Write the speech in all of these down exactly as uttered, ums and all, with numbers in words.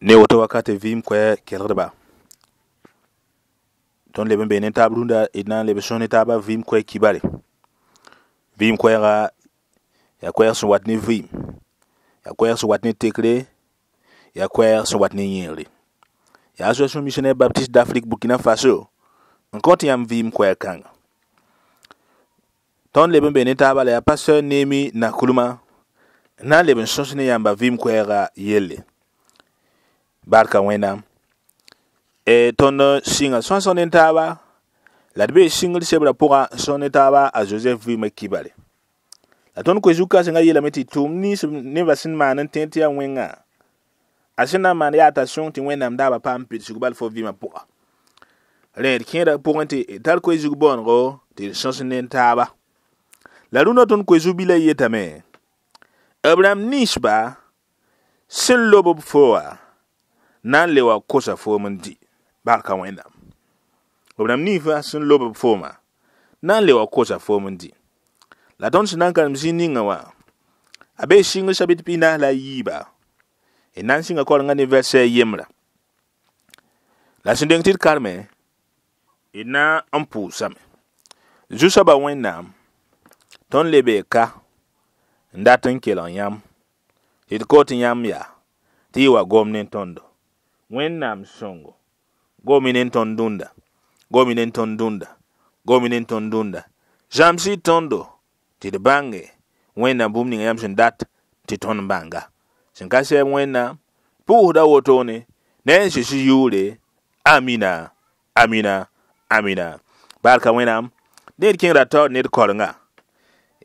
Ne woto wakate vɩɩm koɛɛ kelgdba tõnd leb n bee ne taab rũndã d na n leb sõs ne taabã vɩɩm koɛɛ kibare vɩɩm koɛɛga yaa koɛɛg sẽn wat ne vɩɩm yaa koɛɛg sẽn wat ne tekre yaa koɛɛg sẽn wat ne yẽegre yaa Association Missionnaire Baptiste d'Afrique Burkina Faso n kõt yãmb vɩɩm koɛɛg kãnga tõnd leb n bee ne taabã la yaa pasteur Nemi Nakulma n na n leb n sõs ne yãmba vɩɩm koɛɛga yelle barka wẽnnaam e tõnd sɩnga sõsg ne taaba la d bee sɩngr sebrã pʋga n sõs ne taaba a Joseph vɩɩmã kibare la tõnd koe zu-kãsengã yeelame tɩ tʋʋm nins nebã sẽn maan n tẽed tɩ yaa wẽnga a sẽn na n maan yaa t'a sõng tɩ wẽnnaam daaba paam pidsg bal fo vɩɩmã pʋga rẽ d kẽeda pʋgẽ tɩ d tar koe zug bõonego tɩ d sõs ne taaba la rũndã tõnd koe zu-bilã yetame b rãmb ninsba sẽn lob b fo wã na n le wa kosa foom n dɩ barka wẽnnaam b rãmb ninsbã sẽn lob b foomã na n le wa kosa foom n dɩ la tõnd sẽn na n karem zĩig ninga wã a bee sɩngr sabit pis-naas la a yiiba d na n sɩnga korenga ne vɛrsɛ a yembrã la sẽn deng tɩ d karme d na n pʋʋsame zu-soabã wẽnnaam tõnd le bee ka n dat n kelg yãmb tɩ d kot yãmb yaa tɩ y wa gom ne tõndo wẽnnaam sõngo gomi ne tõnd dũnda gomi ne tõnd dũnda gomi ne tõnd dũnda zãms-y tõndo tɩ d bãnge wẽnnaam bũmb ninga yãmb sẽn dat tɩ tõnd bãnga sẽn ka sɛɛb wẽnnaam pʋʋsda wotone ne a Zeezi yʋʋre amina amina amina barka wẽnnaam ned kẽngra taoor ned korenga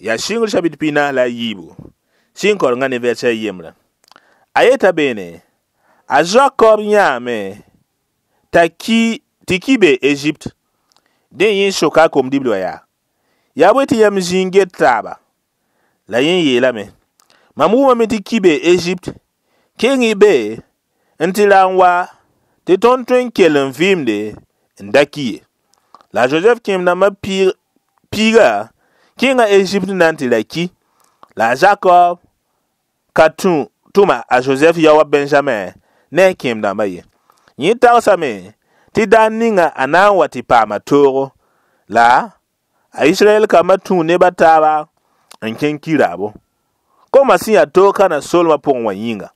yaa sɩngr sabit pis-naas la a yiibu sɩng korenga ne vɛrsɛ a yembrã a yeta beene a Zakob yãame t'a ki tɩ ki be Egypte dẽ yẽ soka a kom-dibl wã yaa yaa bõe tɩ yãmb zĩig n get taaba la yẽ yeelame mam wʋmame tɩ ki be Egypte keng y be n tɩ ra n wa tɩ tõnd tõe n kell n vɩɩmde n da ki ye la Joseph kẽem-dãmbã piiga kẽnga Egypte na n tɩ ra ki la a Jakob ka tũ tʋma a Joseph yaoa Benjamin ne a kẽem-dãmbã ye yẽ tagsame tɩ daar ninga a na n wa tɩ paama toogo la a Israɛl kambã tũu neb a taaba n kẽng ki-raabo koma sẽn yaa toog kana solmã pʋgẽ wã yĩnga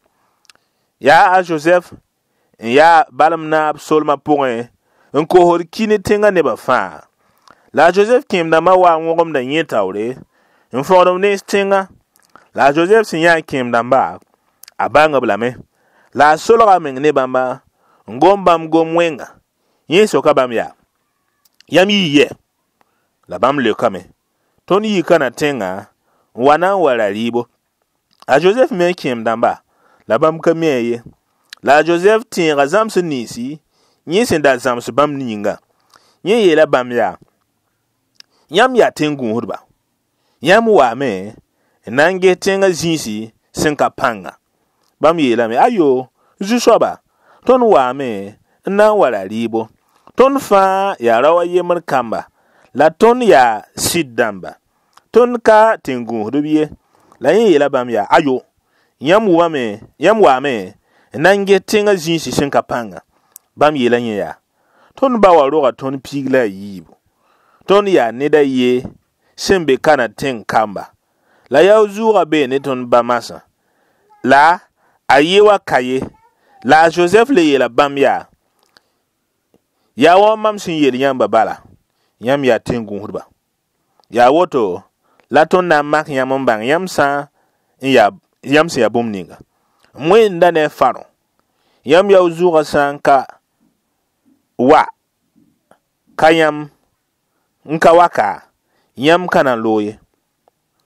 yaa a Joseph n yaa balem naab solmã pʋgẽ n kosd ki ne tẽngã nebã fãa la a Joseph kẽem-dãmbã wa n wõgemda yẽ taoore n fõgd b nens tẽngã la a Joseph sẽn yã a kẽem-dãmba a bãng-b lame la a solga meng ne bãmba n gom bãmb gom wẽnga yẽ soka bãmb yaa yãmb yii yɛ la bãmb leokame tõnd yii kana tẽngã n wa na n wa ra rɩɩbo a Joseph me kẽem-dãmba la bãmb ka mi a ye la a Joseph tẽega zãms ninsi yẽ sẽn da zãms bãmb yĩnga yẽ yeela bãmb yaa yãmb yaa tẽn-gũusdba yãmb waame n na n ges tẽngã zĩisi sẽn ka pãnga bãmb yeelame ayo zu-soaba tõnd waame n na n wa ra rɩɩbo tõnd fãa yaa rao a yembr kamba la tõnd yaa sɩd dãmba tõnd ka tẽn-gũusdb ye la yẽ yeela bãmb yaa ayo yãmb wʋmame yãmb waame n na n ges tẽngã zĩisi sẽn ka pãnga bãmb yeela yẽ yaa tõnd ba wa roga tõnd piig la a yiibu tõnd yaa ned a ye sẽn be kana tẽng kamba la yao zʋʋga bee ne tõnd ba masã la a ye wa ka ye la a Joseph le yeela bãmb yaa yaa wa mam sẽn yeel yãmba bala yãmb yaa tẽn-gũusdba yaa woto la tõnd na n mak yãmb n bãng yãmb sã n yaa yãmb sẽn yaa bũmb ninga m wẽnda ne a Farõ yãmb yao zʋʋgã sã n ka wa ka yãmb n ka wa ka yãmb ka na n loog ye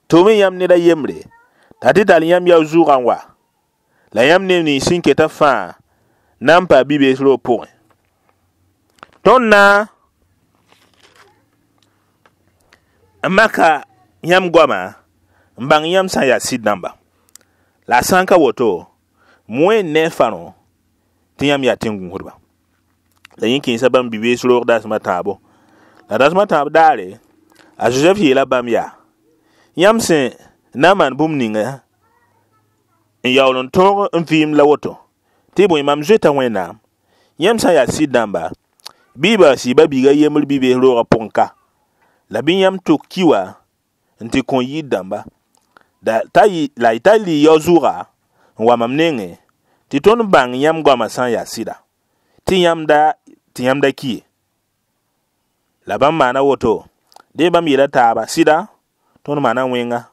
tʋʋm yãmb ned a yembre t'a tɩ tall yãmb yao zʋʋgã n wa la yãmb neb nins sẽn keta fãa na n pa bi-bees roog pʋgẽ tõnd na n maka yãmb goama n bãng yãmb sã n yaa sɩd dãmba la a sã n ka woto m wẽnd ne a Farõ tɩ yãmb yaa tẽn-gũusdba la yẽ kẽesa bãmb bi-bees roog dasem a tãabo la dasem a tãab daare a Joseph yeela bãmb yaa yãmb sẽn na n maan bũmb ninga n yaool n tõog n vɩɩm la woto Tɩ bõe mam zoeta Wẽnnaam. Yãmb sã n yaa sɩd dãmba, bɩ y baas y ba-biiga yembr bi-bees roogã pʋgẽ ka. La bɩ yãmb tok ki wã n tɩ kõ yir dãmba. Da t'a yɩ la y ta lɩ yao-zʋʋga n wa mam nengẽ tɩ tõnd bãng yãmb goamã sã n yaa sɩda, tɩ yãmb da tɩ yãmb da ki ye. La bãmb maana woto, dẽ bãmb yeela taaba, sɩda tõnd maana wẽnga.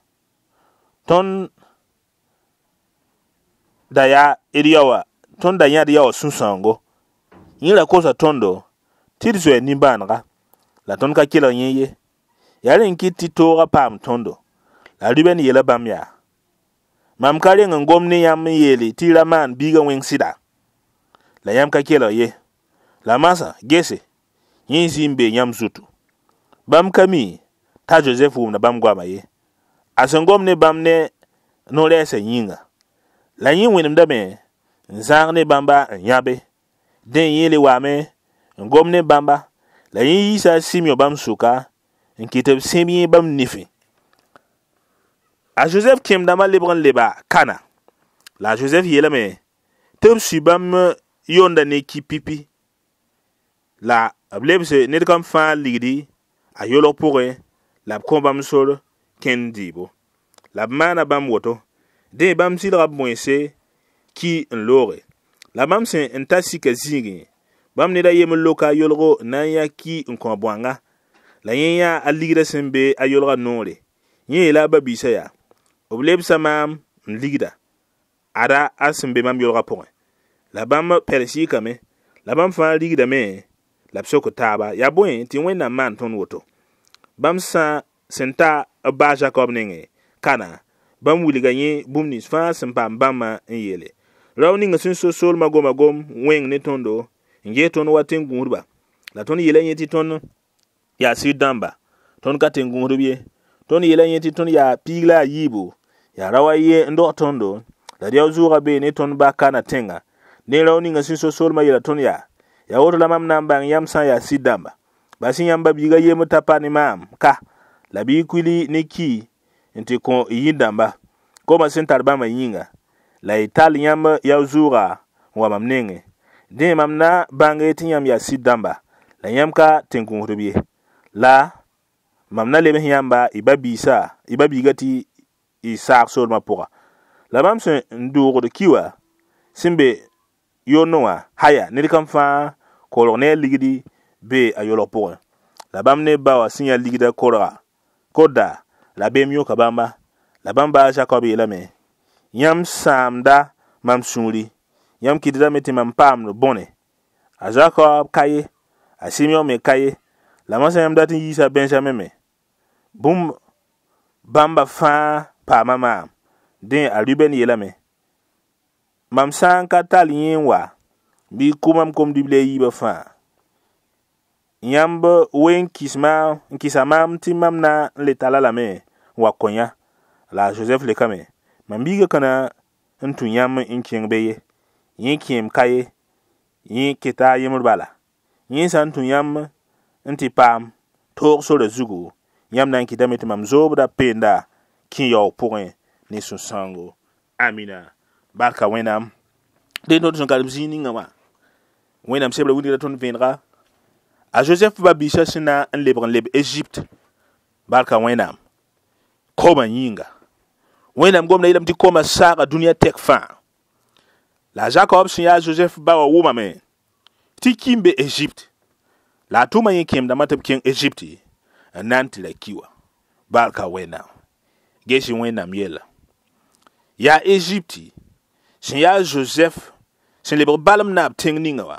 Tõnd da yaa d yaoã, tõnd da yãd yaoã sũ-sãoongo. Yẽ ra kosa tõndo tɩ d zoe nimbãanega, la tõnd ka kelg yẽ ye. Yaa rẽ n kɩt tɩ toogã paam tõndo. La Ruben yeela bãmb yaa: mam ka reng n gom ne yãmb n yeele tɩ y ra maan biigã wẽng sɩda? La yãmb ka kelg ye. La masã, gese, yẽ zĩ n bee yãmb zutu. Bãmb ka mi t'a Josɛf wʋmda bãmb goamã ye. A sẽn gom ne bãmb ne no-rɛɛsã yĩnga. La yẽ wẽnemdame n zãag ne bãmba n yãbe. Dẽ yẽ le waame n gom ne bãmba, la yẽ yiisa a Simeõ bãmb sʋka n kɩt b sẽb yẽ bãmb nifẽ. A Josɛf kẽem-dãmbã lebg n leba Kana. La a Josɛf yeelame tɩ b sui bãmb yonda ne ki pipi. La b lebse ned kam fãa ligdi a yolg pʋgẽ la b kõ bãmb sor kẽnd dɩɩbo. La b maana bãmb woto. Dẽ bãmb sɩlga b bõense ki n looge. La bãmb sẽn n ta sika zĩigẽ, bãmb ned a yembr loka a yolgo n na n yã ki n kõ bõanga. La yẽ yã a ligdã sẽn be a yolgã noore. Yẽ yeela a ba-biisã yaa: b lebsa maam n ligda, ada a sẽn be mam yolgã pʋgẽ. La bãmb pɛl-sɩɩkame, la bãmb fãa rigdame la b sok taaba, yaa bõe tɩ Wẽnnaam maan tõnd woto. Bãmb sã sẽn ta b baa Jakob nengẽ Kana, bãmb wilga yẽ bũmb nins fãa sẽn paam bãmbã n yeele. Rao ning sẽn so soolmã goma gom wẽng ne tõndo n ges tõnd wa tẽn-gũusdba. La tõnd yeela yẽ tɩ tõnd yaa sɩd dãmba, tõnd ka tẽn-gũusdb ye. Tõnd yeela yẽ tɩ tõnd yaa piig la a yiibu, yaa rao a ye n dog tõndo, la d yao-zʋʋgã bee ne tõnd ba Kana tẽnga. Ne rao ninga sẽn so soolmã yeela tõnd yaa: yaa woto la mam na n bãng yãmb sã n yaa sɩd dãmba. Bas yãmb ba-biiga yembr ta pa ne maam ka, la bɩ y kuili ne ki n tɩ kõ y yir-dãmba, koomã sẽn tar bãmbã yĩnga, la y tall yãmb yao-zʋʋga n wa mam nengẽ. Dẽ mam na bãnge tɩ yãmb yaa sɩd dãmba, la yãmb ka tẽn-gũusdb ye. La mam na lebs yãmba y ba-biisã, y ba-biigã tɩ y saag soolmã pʋga. La bãmb sẽn n doogd ki wã sẽn be yondẽ wã, haya ned kam fãa kolg ne a ligdi be a yolg pʋgẽ. La bãmb ne ba wã sẽn yã ligdã korga koda, rabeem yõka bãmba. La bãmb ba a Jakob yeelame: yãmb sãamda mam sũuri, yãmb kɩtdame tɩ mam paamd bõne. A Jakob ka ye, a Simeõ me ka ye, la masã yãmb dat n yiisa Benjamin me. Bũmb bãmba fãa paama maam. Dẽ a Ruben yeelame: mam sã n ka tall yẽ n wa, bɩ y kʋ mam kom-dibli a yiibã fãa. Yãmb we n kɩs maam n kɩsa maam tɩ mam na n le talla lame n wa kõ yã. La a Josɛf lekame: mam biigã ka na n tũ yãmb n kẽng be ye. Yẽ kẽem ka ye, yẽ keta a yembr bala. Yẽ sã n tũ yãmb n tɩ paam toog sorã zugu, yãmb na n kɩtame tɩ mam zoobda peenda kẽ yaoog pʋgẽ ne sũ-sãoongo. Amina. Barka Wẽnnaam. Dẽ tõnd sẽn karem zĩig ninga wã, Wẽnnaam sebra wilgda tõnd vẽenega a Josɛf ba-biisã sẽn na n lebg n leb Egypte. Barka Wẽnnaam. Koomã yĩnga. Wẽnnaam gomda yeelame tɩ koomã saaga dũniyã tɛk fãa. La a Jakob sẽn yaa Josɛf ba wã wʋmame tɩ ki n be Egypte. La a tʋma yẽ kẽem-dãmbã tɩ b kẽng Egypte n na n tɩ ra ki wã. Barka Wẽnnaam. Ges Wẽnnaam yella. Yaa Egypte sẽn yaa Josɛf sẽn lebg balem naab tẽng ninga wã,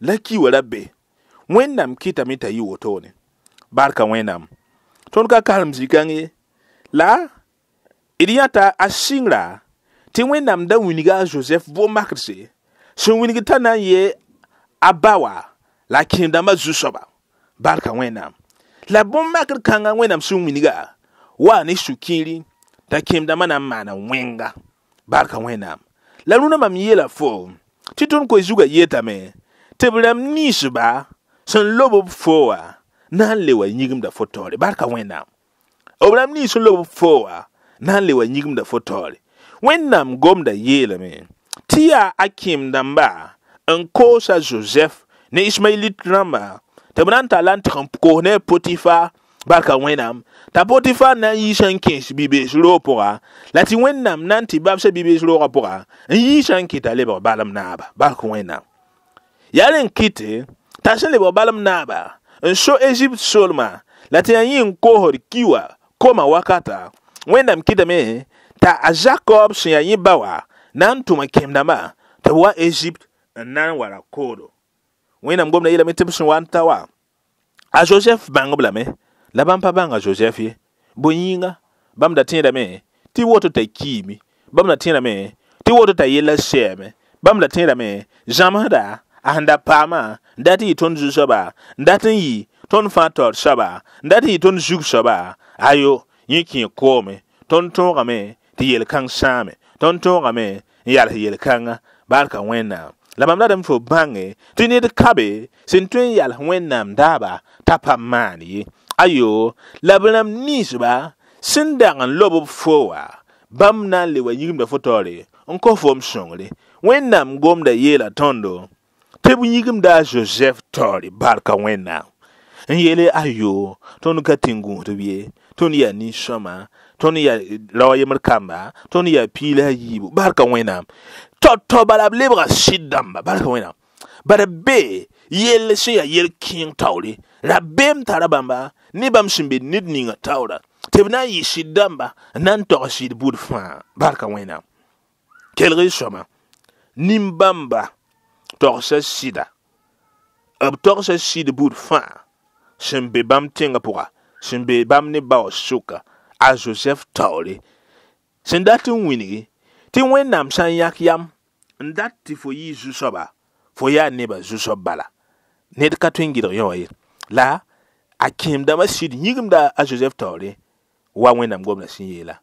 la ki wã ra be. Wẽnnaam kɩtame t'a yɩ wotone. Barka Wẽnnaam. Tõnd ka karem zĩ-kãng ye. La d yãta a sɩngra tɩ Wẽnnaam da wilga a Josɛf vʋʋm-makdse sẽn wilg t'a na n yee a ba wã la a kẽem-dãmbã zu-soaba. Barka Wẽnnaam. La bõn-makr kãngã Wẽnnaam sẽn wilga wa ne sũ-kiiri t'a kẽem-dãmbã na n maana wẽnga. Barka Wẽnnaam. La rũnã mam yeela fo tɩ tõnd koe zugã yetame tɩ b rãmb ninsba sẽn lob b fo wã na n le wa yĩgimda fo taoore. Barka Wẽnnaam. B rãmb nins sẽn lob b fo wã na n le wa yĩgimda fo taoore. Wẽnnaam gomda yeelame Tɩ yaa a kẽem dãmba n koos a Josɛf ne Ismaɛlit rãmba tɩ b na n talla n tɩg n koos ne a Potifa. Barka Wẽnnaam t'a Potifa na n yiisa n kẽes bi-bees roog pʋga, la tɩ Wẽnnaam na n tɩ babsa bi-bees roogã pʋga n yiisa n kɩta lebg balem naaba. Barka Wẽnnaam, yaa rẽ n kɩte t'a sẽn lebg balem naaba n so Ezipt solma, la tɩ yaa yẽ n koosd ki wã koma wakata. Wẽnnaam kɩtame t'a a Zakob sẽn yaa yẽ ba wã na n tʋm a kẽem dãmba tɩ b wa Ezipt n na n wa ra koodo. Wẽnnaam gomda yeelame tɩ b sẽn wa n ta wa, a Josɛf bãng-b lame, la bãmb pa bãnga Josɛf ye. Bõe yĩnga? Bãmb da tẽedame tɩ woto t'a kiime, bãmb da tẽedame tɩ woto t'a yella sɛɛme, bãmb da tẽedame zãmsda a sẽn da paamã n dat n yɩ tõnd zu-soaba, n dat n yɩ tõnd fãa taoor soaba, n dat n yɩ tõnd zug soaba. Ayo, yẽ kẽ koome. Tõnd tõogame tɩ yel-kãng sãame, tõnd tõogame n yals yel-kãnga. Barka Wẽnnaam. La mam ratame fo bãnge tɩ ned ka be sẽn tõe n yals Wẽnnaam daaba t'a pa maan ye. Ayo, la b rãmb ninsba sẽn dag n lob b fo wã, bãmb na n le wa yĩgimda fo taoore n kos fo m sõngre. Wẽnnaam gomda yeela tõndo tɩ b yĩgimda a Josɛf taoore. Barka Wẽnnaam. N yeele ayo, tõnd ka tẽn-gũusdb ye, tõnd yaa nin-sõma, tõnd yaa rao yembr kamba, tõnd yaa piig la a yiibu. Barka Wẽnnaam. Tao-tao bala b lebga sɩd dãmba. Barka Wẽnnaam. Bara be yell sẽn yaa yel-kẽeng taoore, rabeem tara bãmba ne bãmb sẽn be ned ninga taoora tɩ b na n yɩ sɩd dãmba n na n tog sɩd bud fãa. Barka Wẽnnaam. Kelg y sõma, nin-bãmba togsa sɩda, b togsa sɩd bud fãa sẽn be bãmb tẽngã pʋga, sẽn be bãmb ne ba wã sʋka, a Josɛf taoore sẽn dat n wilgi tɩ Wẽnnaam sã n yãk yam n dat tɩ fo yɩ zu-soaba, fo yaa nebã zu-soab bala, ned ka tõe n gɩdg yõ wã ye. La a kẽem dãmbã sɩd yĩgimda a Josɛf taoore wa Wẽnnaam gomdã sẽn yeela.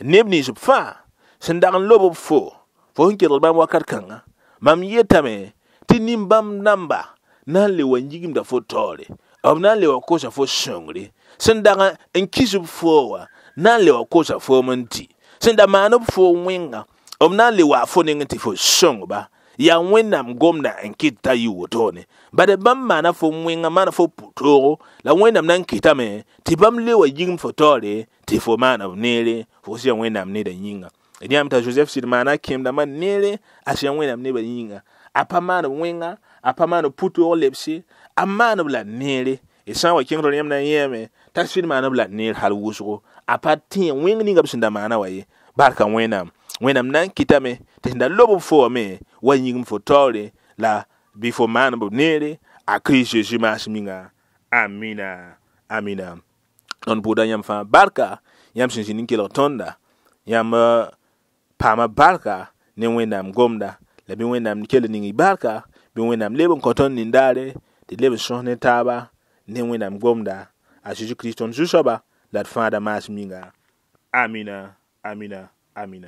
Neb nins b fãa sẽn dag n lob b fo, fo sẽn kelgd bãmb wakat kãnga, mam yetame tɩ nin-bãmb namba na n le wa yĩgimda fo taoore, b na n le wa kosa fo sõngre. Sẽn dag n kis b fo wã na n le wa kosa foom n dɩ, sẽn da maan b fo wẽnga, b na n le wa fo neng tɩ fo sõngba. Yaa Wẽnnaam gomda n kɩt t'a yɩ wotone. Bad bãmb maana fo wẽnga, maana fo pʋ-toogo, la Wẽnnaam na n kɩtame tɩ bãmb le wa yĩgim fo taoore tɩ fo maana b neere, fo sẽn Wẽnnaam nedã yĩnga. D yãame t'a Josɛf sɩd maana a kẽem dãmbã neere a sẽn Wẽnnaam nebã yĩnga. A pa maan b wẽnga, a pa maan b pʋ-toog lebse, a maan b la neere. D sã n wa kẽng tõnd yãmb na n yẽeme t'a sɩd maan b la neer hal wʋsgo, a pa tẽ wẽng ninga b sẽn da maana wã ye. Barka Wẽnnaam. Wẽnnaam na n kɩtame tɩ sẽn da lob b fo wã me wa yĩgim fo taoore, la bɩ fo maan b neere a Kirist Zeezi maas minga. Amina, amina. Tõnd pʋʋda yãmb fãa barka, yãmb sẽn zĩnd n kelg tõnda. Yãmb paama barka ne Wẽnnaam gomda, la bɩ Wẽnnaam kell ning y barka, bɩ Wẽnnaam leb n kõ tõnd nin-daare tɩ d leb n sõs ne taaba ne Wẽnnaam gomda, a Zeezi Kirist tõnd Zu-soaba la d fãada maas minga. Amina, amina, amina.